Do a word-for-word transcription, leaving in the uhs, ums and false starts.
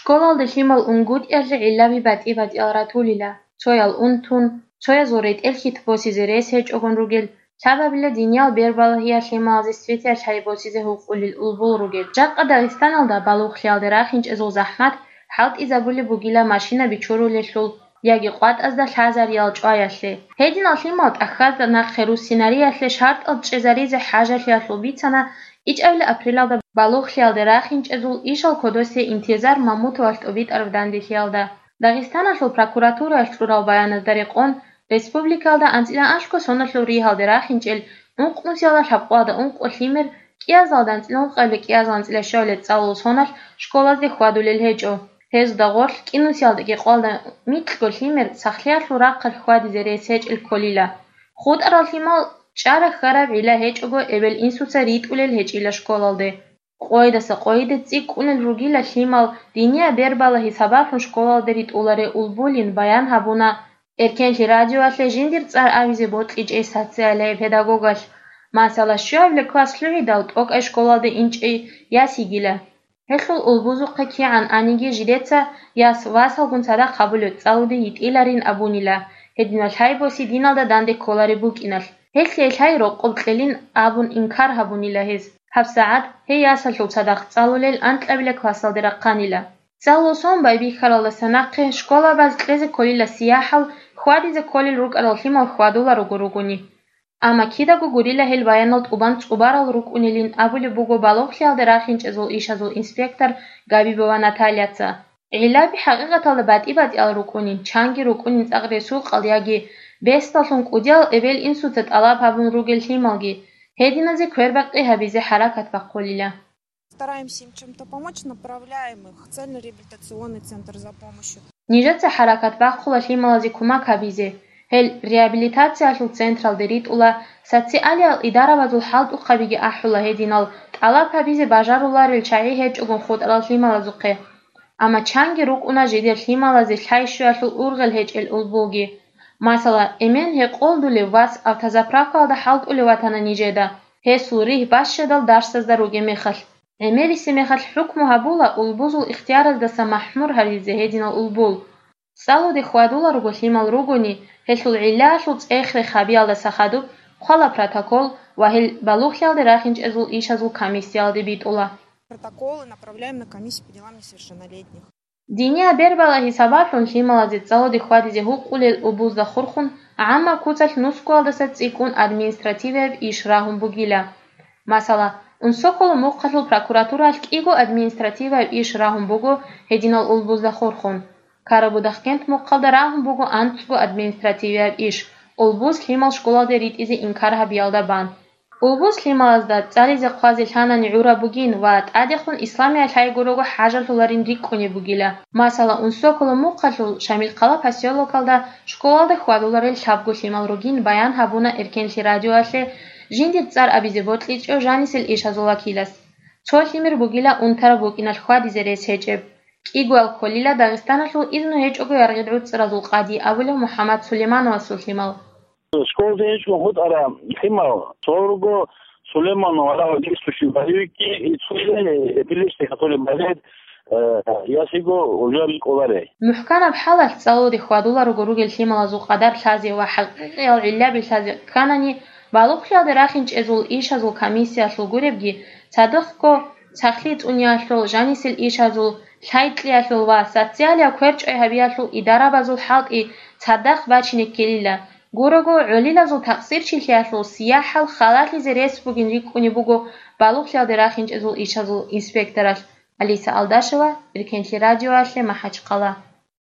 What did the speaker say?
Школалде лъимал унгутӀиялъе гӀиллаби батӀи-батӀиял ратулила, цоял унтун, цоязул ретӀел хьит босизе рес гьечӀогун ругел, лъабабила диниял бербалагьиялъ лъималазе светиялъ гьайи босизе гьукъулел улбул ругел. Жакъа Дагъистаналда балугълъиялде рахинчӀезул захӀмат хӀалтӀизабулеб бугила машина бичурулелъул яги къватӀазда лъазариял чӀваялъе. Гьединал лъимал тӀахьазда нахъе руссинариялъе шартӀал чӀезаризе хӀажалъиялъул бицана ичӀабила апрелалда балугълъиялде рахинчӀезул ишал кодосе Интизар Мамутовалъ тӀубитӀараб данделъиялда. Дагъистаналъул прокуратураялъ кьурал баяназда рекъон, республикалда анцӀила анлъго соналъул ригьалде рахинчӀел ункънусиялда лъабкъоялда ункъо лъимер кӀиазалда анцӀила ункъабилеб кӀиазал анцӀила щуабилеб цӀалул соналъ школазде хьвадулел гьечӀо. Гьезда гъорлъ кӀинусиялдаги къоялда микьго лъимер сахлъиялъул рахъалъ хьвадизе рес гьечӀел кколила. ХутӀарал лъимал чӀара-хьараб гӀилла гьечӀого эбел-инсуца ритӀулел гьечӀила школалде. Къойдаса къойде цӀикӀкӀунел ругила лъимал диния бербалагьи сабаблъун школалде ритӀуларей улбулин баян гьабуна Эркенлъи радиоялъе жиндир цӀар абизе бокьичӀей социалияй педагогалъ. Масала, щуабилеб класс лъугӀидал тӀокӀай школалде инчӀей яс йигила. Гьелъул улбузухъе кигӀан аниги жидеца яс васалгун цадахъ гьабулеб цӀалуде йитӀиларин абунила, гьединал лъай боси диналда данде кколареб букӀиналъ. Гьелъие лъай рокъоб кьелин абун инкар гьабунила гьез. ГьабсагӀат гьей ясалъул цадахъ цӀалулел анкьабилеб классалде рахъанила. ЦӀалул сон байбихьаралдаса нахъе школабаз кьезе кколила сияхӀал, хьвадизе кколел рукӀарал лъимал хьвадуларого ругони. Амма кидаго гурила гьел баянал тӀубан цӀубарал рукӀунилин абулеб буго балугълъиялде рахинчӀезул ишазул инспектор Габибова Натальяца. ГӀиллаби хӀакъикъаталда батӀи-батӀиял рукӀунин, чанги рукӀунин цӀакъ ресукъал яги бесдаллъун кӀудиял эбел-инсуца тӀалаб гьабун ругел лъималги, гьединазе квербакъи гьабизе хӀаракат бахъулила. Стараемся им чем-то помочь, направляем их в цельно-реабилитационный центр за помощью. Нижеца хӀаракат бахъула лъималазе кумак гьабизе. Гьел реабилитациялъул централде ритӀула, социалиял идарабазул хӀалтӀухъабиги ахӀула гьединал тӀалаб гьабизе бажаруларел чагӀи гьечӀогун хутӀарал лъималазухъе. Амма чанги рукӀуна жидер лъималазе лъай-щуялъул ургъел гьечӀел улбуги. Масала, эмен гьекъолдулев вас автозаправкаялда хӀалтӀулев ватана нижеда, гьесул ригь бащадал дарсазда ругеб мехалъ. ГӀемерисеб мехалъ хӀукму гьабула улбузул ихтияраздаса махӀмур гьаризе гьединал улбул. ЦӀалуде хьвадуларого лъимал ругони, гьелъул гӀиллаялъул цӀех-рех гьабиялдаса хадуб хъвала протокол ва гьел балугълъиялде рахинчӀезул ишазул комиссиялде битӀула. Протоколы направляем на комиссию по делам несовершеннолетних. Диния бербалагьи сабаблъун лъималазе цӀалуде хьвадизе гьукъулел улбузда хурхун гӀаммаб куцалъ нусгоялдаса цӀикӀкӀун административияб иш рагьун бугила. Масала, Унсоколо мухъалъул прокуратураялъ кӀиго административияб иш рагьун буго гьединал улбузда хурхун. Карабудахкент мухъалда рагьун буго анцӀго административияб иш, улбуз лъимал школалде ритӀизе инкар гьабиялда бан. Улбуз лъималазда цӀализе-хъвазе лъанани гӀураб бугин ва тӀадехун исламияб лъай гурого хӀажалъуларин рикӀкӀунеб бугила. Масала, Унсоколо мухъалъул Шамилхъала поселокалда школалда хьвадуларел лъабго лъимал ругин баян гьабуна Эркенлъи радиоялъе жиндир цӀар абизе бокьичӀев жанисел ишазул вакилас. Цо лъимер бугила унтараб букӀиналъ хьвадизе рес гьечӀеб. КӀигоял кколила Дагъистаналъул изну гьечӀого яргъи гӀуцӀразул къади абулев МухӀаммад Сулеймановасул лъимал. Школде гьечӀого хутӀараб лъимал цо руго Сулейманов Аллагь гьесущий боевикги, и цо эпилепсия, который болеет, э, ясиго уже кӀоларей. МухӀканаб хӀалалъ цӀалуде хьвадуларого ругел лъималазул къадар лъазе ва хӀакъикъиял гӀиллаби лъазе кканани, балугълъиялде рахинчӀезул ишазул комиссиялъул гуребги, цадахъго сахлъи цӀуниялъул, жанисел ишазул, лъайкьиялъул ва социалияв кверчӀвай гьабиялъул идарабазул хӀалтӀи цадахъ бачине ккелила. Гурого, гӀолилазул такъсирчилъиялъул сияхӀал халалъизе рес бугин рикӀкӀунеб буго балугълъиялде рахинчӀезул ишазул инспекторалъ. Алиса Алдашева, Эркенлъи радиоялъе, МахӀачхъала.